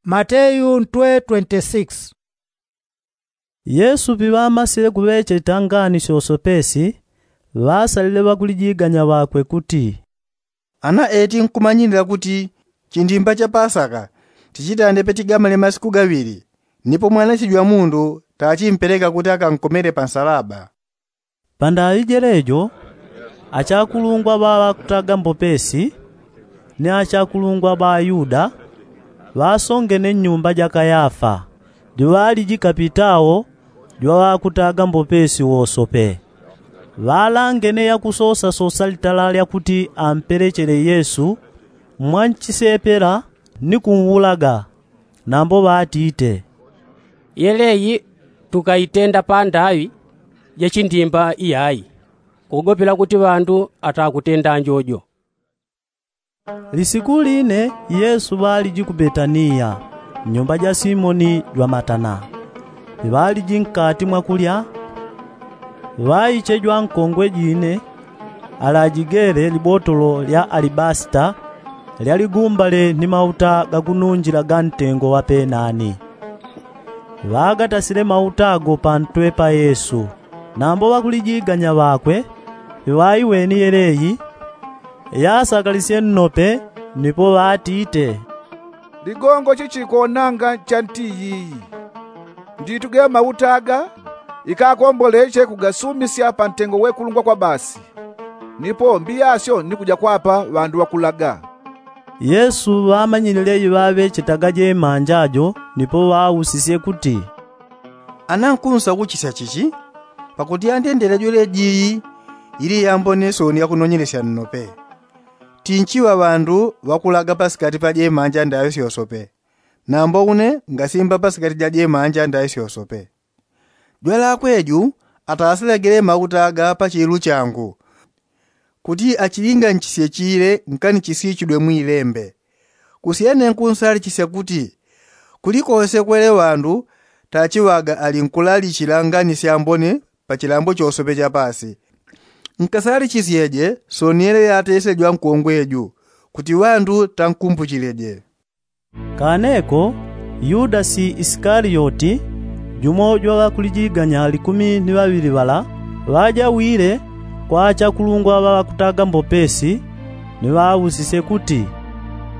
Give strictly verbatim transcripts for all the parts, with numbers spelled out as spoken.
Mateyu ntwe twenti sikisi. Yesu piŵamasile kuŵecheta ngani syosopesi, ŵasalile ŵakulijiganya ŵakwe kuti, ana eti nkumanyilila kuti chindimba cha pasaka tichitande patigamale masiku gaŵili, nipo mwananchi jwa mundu tachimpeleka kuti akankomele pansalaba. Pandaŵi jelejo, achakulungwa ŵa ŵakutaga mbopesi ni achakulungwa ŵa ayuda ŵasongene nnyumba ja kayafa, juŵaliji kapitao jwa ŵakutaga mbopesi wosope. Ŵalangene yakusosasosa litala lya kuti ampelechele yesu mwanchisepela ni kunwulaga. Nambo ŵatite, yeleyi tukaitenda pandaŵi ja chindimba iyayi, kugopela kuti ŵandu atakutenda njojo. Lisiku line yesu ŵaliji ku betaniya, mnyumba ja simoni jwa matana. Piŵaliji nkati mwakulya, ŵaiche jwankongwe jine alajigele libotolo lya alibasita lyaligumbale ni mauta gakununjila ga ntengo wa penani. Ŵagatasile mauta ago pantwe pa yesu. Nambo ŵakulijiganya ŵakwe piŵaiweni yeleyi, yasakalisye nnope, nipo ŵatite, ligongo chichikonanga cha nti iyiyi. Nditu ge mauta aga ikakomboleche kugasumisya pa ntengo wekulungwa kwa basi, nipo mbiyasyo ni kuja kwapa ŵandu ŵakulaga. Yesu ŵamanyilile iŵaŵechetaga jemanja jo nipo ŵausisye kuti, ana nkunsakuchisya chichi? Pakuti yandendele jweleji iyi ili yambone soni yakunonyelesya nnope. Tinchiŵa ŵandu ŵakulaga pasikati pa jemanja ndaŵi syosope, nambo une ngasimba pasikati ja jemanja ndaŵi syosope. Jwalakwe ju atasilagile mauta aga pa chilu changu, kuti achilinganchisye chile ngani chisichidwe mwilembe. Kusyene nkunsalichisya kuti kuli kose kwele ŵandu tachiŵaga ali nkulalichila ngani syambone pa chilambo chosope cha pasi. Nkasalichisyeje soni yele yatesile jwankongwe ju, kuti ŵandu tankumbuchileje. Kaneko yudasi isikaliyoti, jumo jwa ŵakulijiganya likumi ni ŵaŵili ŵala, ŵajawile kwa achakulungwa ŵa ŵakutaga mbopesi, ni ŵausisye kuti,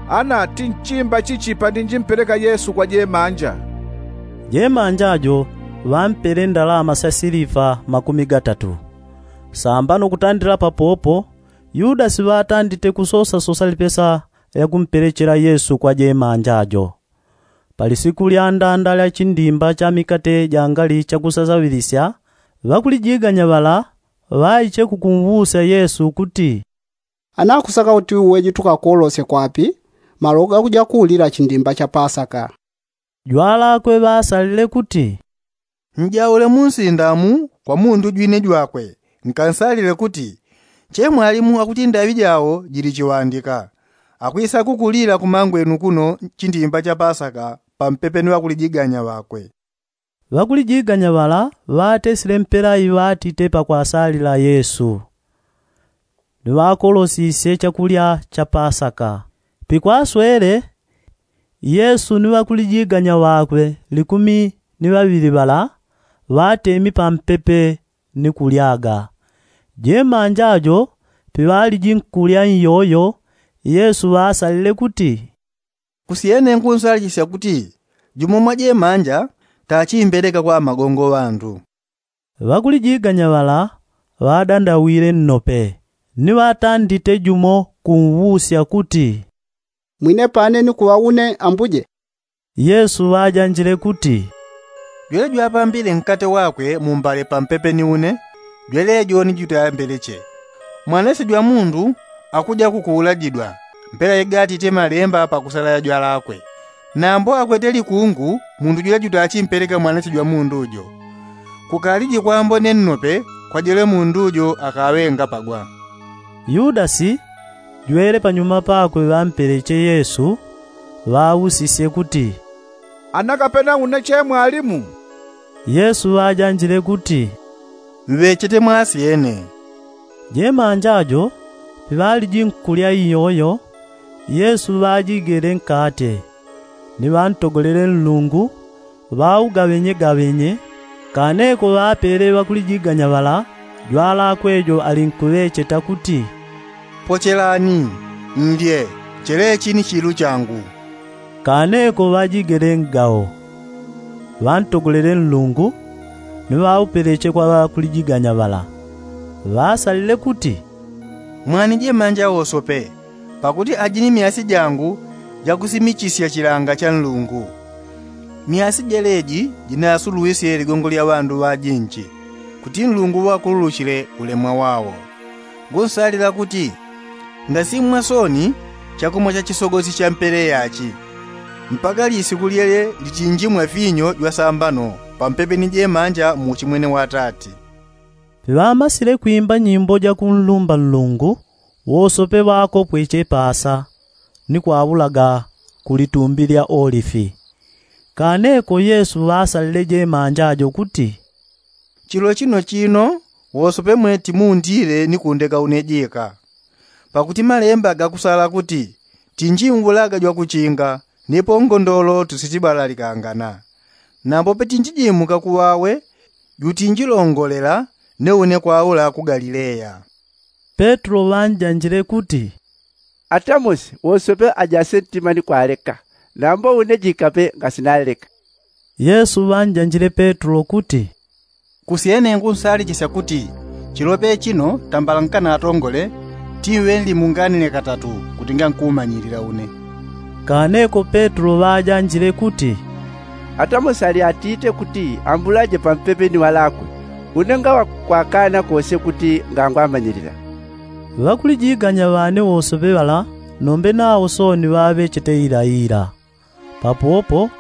ana tinchimba chichi pandinjimpeleka yesu kwa jemanja? Jemanja jo ŵampele ndalama sya silifa makumi gatatu. Sambano kutandila papopo yudasi ŵatandite kusosasosa lipesa lya kumpelechela yesu kwa jemanja jo. Pa lisiku lya ndanda lya chindimba cha mikate jangali chakusasaŵilisya, ŵakulijiganya ŵala ŵaiche kukumwusya yesu kuti, ana kusaka kuti uwe jitukakolosye kwapi malo gakuja kuulila chindimba cha pasaka? Jwalakwe ŵasalile kuti, njaule mu nsinda mu kwa mundu jwine jwakwe, nkansalile kuti, che mwalimu akuti ndaŵi jao jili chiŵandika, akwisa kukulila kumangwenu kuno chindimba cha pasaka pampepe ni ŵakulijiganya ŵakwe. Ŵakulijiganya ŵala ŵatesile mpela iŵatite pakwasalila yesu, ni ŵakolosisye chakulya cha pasaka. Pikwaswele yesu ni ŵakulijiganya ŵakwe likumi ni ŵaŵili ŵala ŵatemi pampepe ni kulyaga. Jemanja jo piŵaliji nkulya iyoyo yesu ŵasalile kuti, kusyene nkunsalichisya kuti jumo mwa jemanja tachimbeleka kwa amagongo ŵandu. Ŵakulijiganya ŵala ŵadandawile nnope, ni ŵatandite jumo kumwusya kuti, mwine pane ni kuŵa une ambuje? Yesu ŵajanjile kuti, jwele jwapambile nkate wakwe mumbale pampepe ni une, jwelejo ni jutayambeleche. Mwanese jwa mundu akuja kukuulajidwa mpela igatite malemba pakusalaya jwalakwe. Nambo akwete likungu mundu jwele jutachimpeleka mwanese jwa mundu jo. Kukaliji kwambone nnope kwa jwele mundu jo akaŵe ngapagwa. Yudasi jwele panyuma pakwe ŵampeleche yesu, ŵausisye kuti, ana kapena une che mwalimu? Yesu ŵajanjile kuti, mŵechete mwasyene. Jemanja jo piŵaliji nkulya iyoyo yesu ŵajigele nkate, ni ŵantogolele nlungu, ŵaugaŵenyegaŵenye. Kaneko ŵapele ŵakulijiganya ŵala jwalakwe jo alinkuŵecheta kuti, pochelani, nlye, chelechi ni chilu changu. Kaneko ŵajigele ngao, ŵantogolele nlungu, ni ŵaupeleche kwa ŵakulijiganya ŵala. Ŵasalile kuti, mwani jemanja wosope, pakuti aji ni myasi jangu jakusimichisya chilanga cha nlungu. Myasi jeleji jinasulwisye ligongo lya ŵandu ŵajinji, kuti nlungu ŵakululuchile ulemwa wao. Ngunsalila kuti ngasimwa soni chakumwa cha chisogosi cha mpele yachi, mpaka lisiku lyele lichinjimwa finyo jwasambano pampepe ni jemanja mu uchimwene wa atati. Piŵamasile kwimba nyimbo jakunlumba nlungu, wosope ŵakopweche pasa, ni kwaulaga ku litumbi lya olifi. Kaneko yesu ŵasalile jemanja jo kuti, chilo chino chino wosope mwe timundile ni kundeka une jika. Pakuti malemba gakusala kuti, tinjimvulaga jwakuchinga, nipo ngondolo tusichibalalikangana. Nambo petinjijimuka kuŵawe, jutinjilongolela, ni une kwaula ku galileya. Petro ŵanjanjile kuti, atamosi wosope ajase ntima ni kwaleka, nambo une jikape ngasinaleka. Yesu ŵanjanjile petro kuti, kusyene ngunsalichisya kuti, chilope chino tambala nkanatongole, tiŵe nlimunganile katatu, kuti ngankumanyilila une. Kaneko petro ŵajanjile kuti, atamosi ali atite kuti ambulaje pampepe ni ŵalakwe, une ngaŵa kwakana kose kuti ngangwamanyilila. Ŵakulijiganya ŵane wosope ŵala, nombe nawo soni ŵaŵechete ilaila. Papopo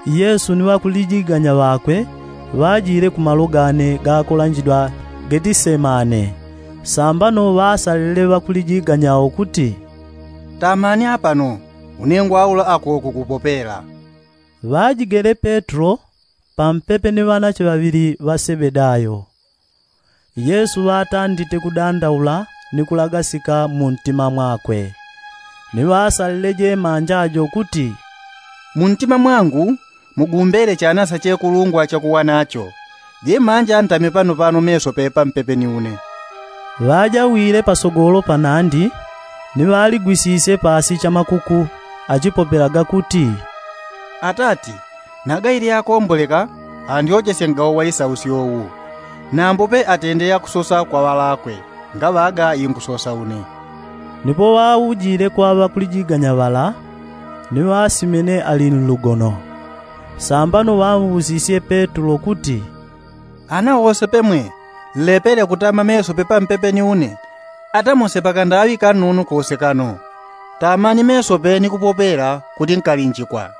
yesu ni ŵakulijiganya ŵakwe ŵajile ku malo gane gakolanjidwa getisemane. Sambano ŵasalile ŵakulijiganya wo kuti, tamani apano, une ngwaula ako kukupopela. Ŵajigele petro pampepe ni ŵanache ŵaŵili ŵa sebedayo. Yesu ŵatandite kudandaula ni kulagasika mu ntima mwakwe. Ni ŵasalile jemanja jo kuti, mu ntima mwangu mugumbele chanasa chekulungwa chakuwa nacho. Jemanja ntame pano pano meso pepa mpepe ni une. Ŵajawile pasogolo panandi, ni ŵaligwisisye pasi chamakuku, achipopelaga kuti, atati, naga ili akomboleka andyochesye ngawo wa isausyo wu, nambo pe atende yakusosa kwa ŵalakwe, ngaŵaga ingusosa une. Nipo ŵaujile kwa ŵakulijiganya ŵala, ni ŵasimene ali nlugono. Sambano ŵausisye petro kuti, ana wose pemwe nlepele kutama meso pepa mpepe ni une? Ata mose pakandaŵi kanunu kose kano. Tamani mesope ni kupopela kuti nkalinjikwa.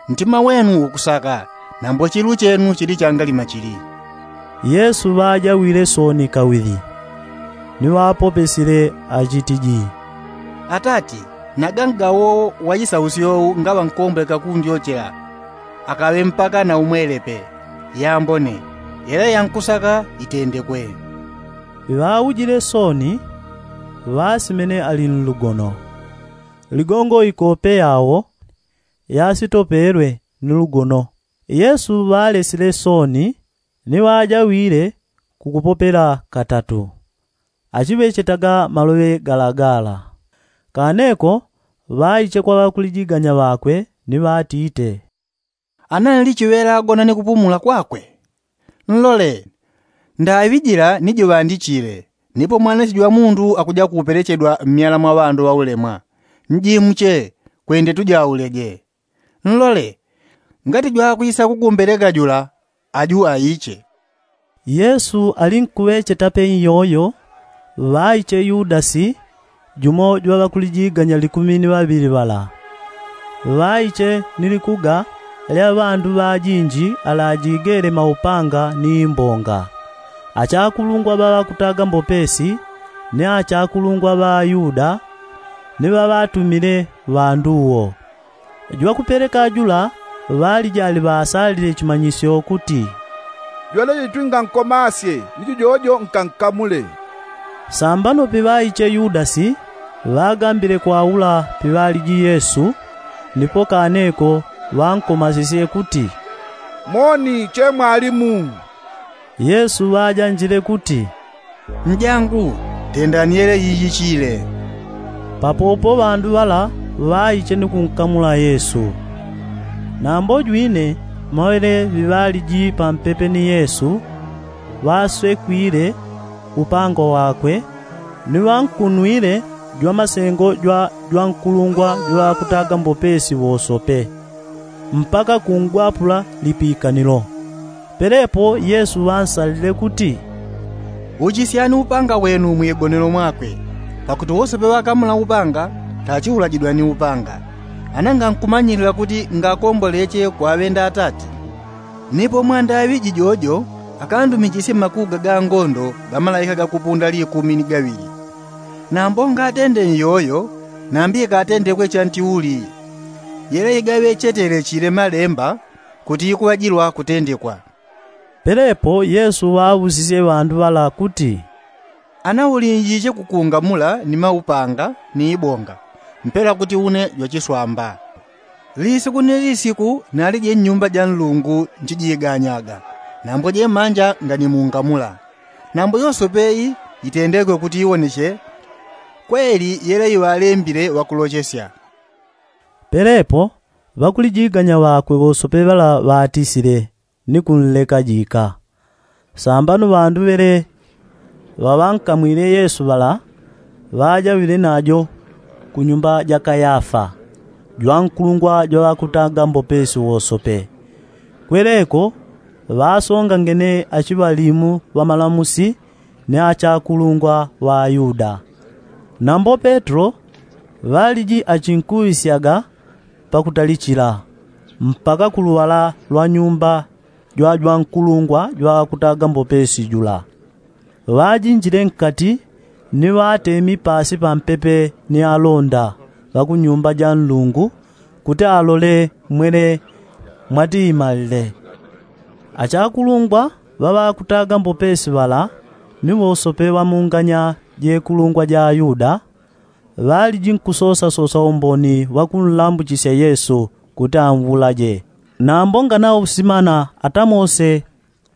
Ntima wenu ukusaka, nambo chilu chenu chili changalima chili. Yesu ŵajawile soni kawili, ni ŵapopesile achitiji, atati, naga ngawo wa isausyo wu ngaŵa nkomboleka kundyochela, akaŵe mpaka na umwelepe, yambone, yela yankusaka itendekwe. Ŵaujile soni, ŵasimene ali nlugono. Ligongo ikope yawo yasitopelwe ni lugono. Yesu ŵalesile soni, ni ŵajawile kukupopela katatu, achiŵechetaga maloŵe galagala. Kaneko ŵaiche kwa ŵakulijiganya ŵakwe, ni ŵatite, ana nlichiŵela agona ni kupumula kwakwe? Nlole, ndaŵi jila ni jiŵandichile, nipo mwananchi jwa mundu akuja kupelechedwa mmyala mwa ŵandu ŵaulemwa. Njimuche, kwende tujauleje. Nlole, ngati jwakwisa kugumbeleka jula, aju aiche. Yesu alinkuŵechetape nyoyo, ŵaiche yudasi, jumo jwa ŵakulijiganya likumi ni ŵaŵili ŵala. Ŵaiche ni likuga lya ŵandu ŵajinji alajigele maupanga ni imbonga, achakulungwa ŵa ŵakutaga mbopesi, ni achakulungwa ŵa ayuda, ni ŵaŵatumile ŵandu wo. Jwakupeleka jula ŵaliji aliŵasalile chimanyisyo kuti, jwaleji twingankomasye, ni jujojo nkankamule. Sambano piŵaiche yudasi, ŵagambile kwaula piŵaliji yesu, nipo kaneko ŵankomasisye kuti, moni che mwalimu. Yesu ŵajanjile kuti, njangu, tendani yele yiyichile. Papopo ŵandu ŵala ŵaiche ni kunkamula yesu. Nambo jwine mawele ŵiŵaliji pampepe ni yesu, ŵaswekwile upanga wakwe, ni ŵankunwile jwamasengo jwa jwankulungwa jwaŵakutaga mbopesi wosope, mpaka kungwapula lipikanilo. Pelepo yesu ŵansalile kuti, uchisyani upanga wenu mwigonelo mwakwe. Pakuti wosope ŵakamula upanga, tachiulajidwa ni upanga. Ana ngankumanyilila kuti ngakomboleche kwaŵenda atati. Nipo mwandaŵi jijojo, akandumichisye makuga ga ngondo ga malaika gakupunda likumi ni gaŵili. Nambo ngatende nyoyo, nambi ikatendekwe chantiuli. Yele igaŵechetele chile malemba, kuti ikuŵajilwa kutendekwa. Pelepo yesu ŵaŵusisye ŵandu ŵala kuti, ana ulinjiche kukungamula ni maupanga ni ibonga, mpela kuti une jwachiswamba. Lisiku ni lisiku nalije nnyumba ja nlungu nchijiganyaga. Nambo jemanja nganimungamula. Nambo yosope iyi itendekwe kuti iwoneche kweli yele iŵalembile ŵakulochesya. Pelepo ŵakulijiganya ŵakwe ŵosope ŵala ŵatisile, ni kunleka jika. Sambano ŵandu ŵele ŵaŵankamwile yesu ŵala, ŵajaŵile najo kunyumba ja kayafa, jwankulungwa jwaŵakutaga mbopesi wosope. Kweleko ŵasongangene achiŵalimu ŵamalamusi, ni achakulungwa ŵa ayuda. Nambo petro ŵaliji achinkuŵisyaga pakutalichila, mpaka ku luŵala lwa nyumba jwa jwankulungwa jwaŵakutaga mbopesi jula. Ŵajinjile nkati, ni ŵatemi pasi pampepe ni alonda ŵa ku nyumba ja nlungu, kuti alole mwele mwatiimalile. Achakulungwa ŵaŵakutaga mbopesi ŵala, ni ŵosope ŵamunganya jekulungwa ja ayuda, ŵaliji nkusosasosa umboni wa kunlambuchisya yesu, kuti anwulaje. Nambo nganausimana atamose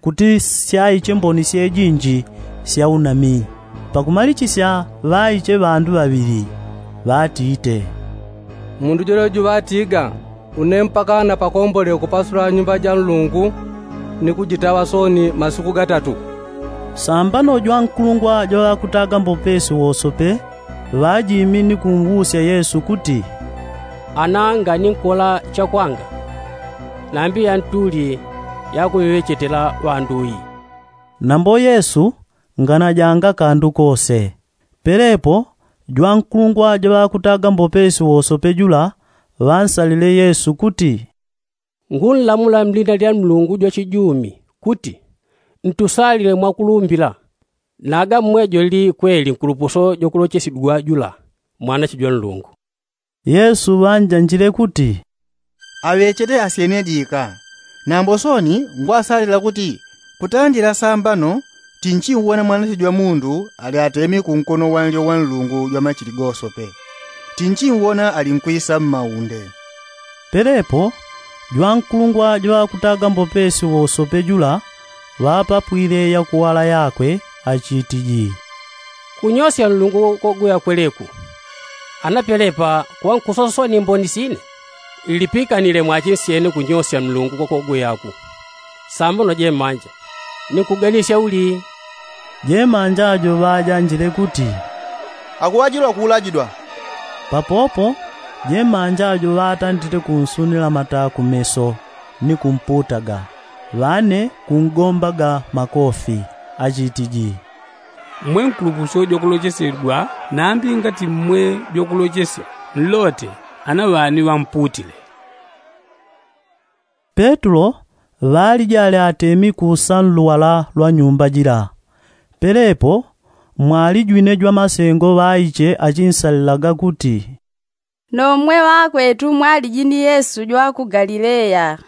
kuti syaiche mboni syejinji sya unami. Pakumalichisya ŵaiche ŵandu ŵaŵili, ŵatite, mundu jwelejo ŵatiga, une mpaka napakombole kupasula nyumba ja nlungu, ni kujitaŵa sooni masiku gatatu. Sambano jwankulungwa jwaŵakutaga mbopesi wosope, ŵajimi ni kunwusya yesu kuti, ana nganinkola chakwanga, nambi yantuli yakuŵeŵechetela ŵandu iyi? Nambo yesu nganajanga kandu kose. Pelepo jwankulungwa jwaŵakutaga mbopesi wosope jula, ŵansalile yesu kuti, ngunlamula mlina lya nlungu jwachijumi, kuti, ntusalile mwakulumbila. Naga mmwejo lili kweli nkulupuso jwakulochesyedwa jula, mwanache jwa nlungu. Yesu ŵanjanjile kuti, aŵechete asyene jika. Nambo sooni ngwasalila kuti, kutandila sambano, tinchiwona mwanache jwa mundu ali atemi kunkono wanlyo wa nlungu jwa machili gosope. Tinchiwona ali nkwisa mmaunde. Pelepo jwankulungwa jwaŵakutaga mbopesi wosope jula, ŵapapwile yakuŵala yakwe, achitiji, kunyosya nlungu kogweya kweleku. Ana pelepa kuŵa nkusosa sooni mboni sine? Nlipikanile mwachinsyene kunyosya nlungu kwakogweyaku. Sambano jemanja, ninkuganisya uli? Jemanja jo ŵajanjile kuti, akuŵajilwa kuulajidwa. Papopo jemanja jo ŵatandite kunsunila mata kumeso, ni kumputaga, ŵane kungombaga makofi, achitiji, mmwe nkulupuso jwakulochesyedwa, nambi ngati mmwe jwakulochesya, nlote ana ŵani ŵamputile. Petulo ŵaliji ali atemi kusa nluŵala lwa nyumba jila. Pelepo mwalijwine jwamasengo ŵaiche achinsalilaga kuti, nomwe ŵakwetu mwaliji ni yesu jwa ku galileya.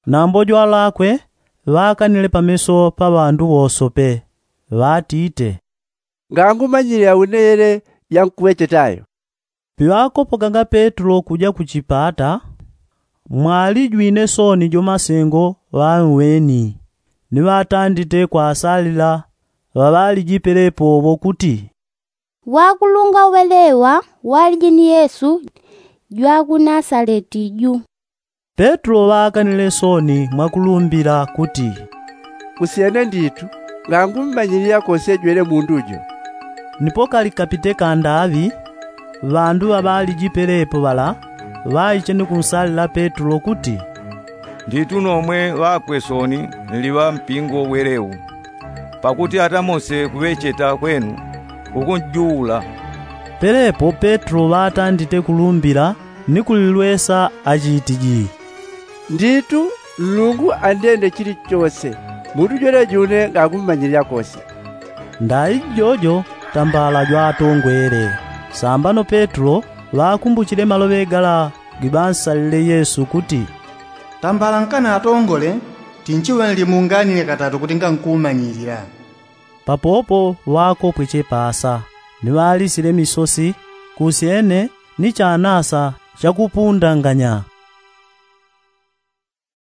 Nambo jwalakwe ŵakanile pameso pa ŵandu wosope, ŵatite, ngangumanyile aune yele yankuŵechetayo. Piŵakopokaga petulo kuja kuchipata, Mwalijwine soni jo masengo ŵanweni ni ŵatandite kwasalila ŵaŵaliji pelepo ŵo kuti, wakulunga welewa waliji ni yesu jwa ku nasaleti ju. Petlo ŵaakanile soni mwakulumbila kuti, kusyene nditu ngangummanyilila kose jwene mundu jo. Ni pokali kapite kandaŵi ŵandu ŵaŵaliji pelepo ŵala ŵaiche ni kunsalila petlo kuti, nditu nomwe ŵakwe soni nli ŵa mpingo welewu. Pakuti ata mose kuŵecheta kwenu kukunjuula. Pelepo petlo ŵatandite kulumbila ni kulilwesa achitiji, nditu nlungu andende chilichose, mundu jwene june ngakummanyilila kose. Ndai jojo tambala jwatongwele. Sambano petlo ŵakumbuchile maloŵe gala giŵansalile yesu kuti, tambala nkanatongole, tinchiŵe nlimunganile katatu kuti ngankumanyilila. Papopo ŵakopweche pasa ni ŵalisile misosi kusyene ni chanasa chakupundanganya.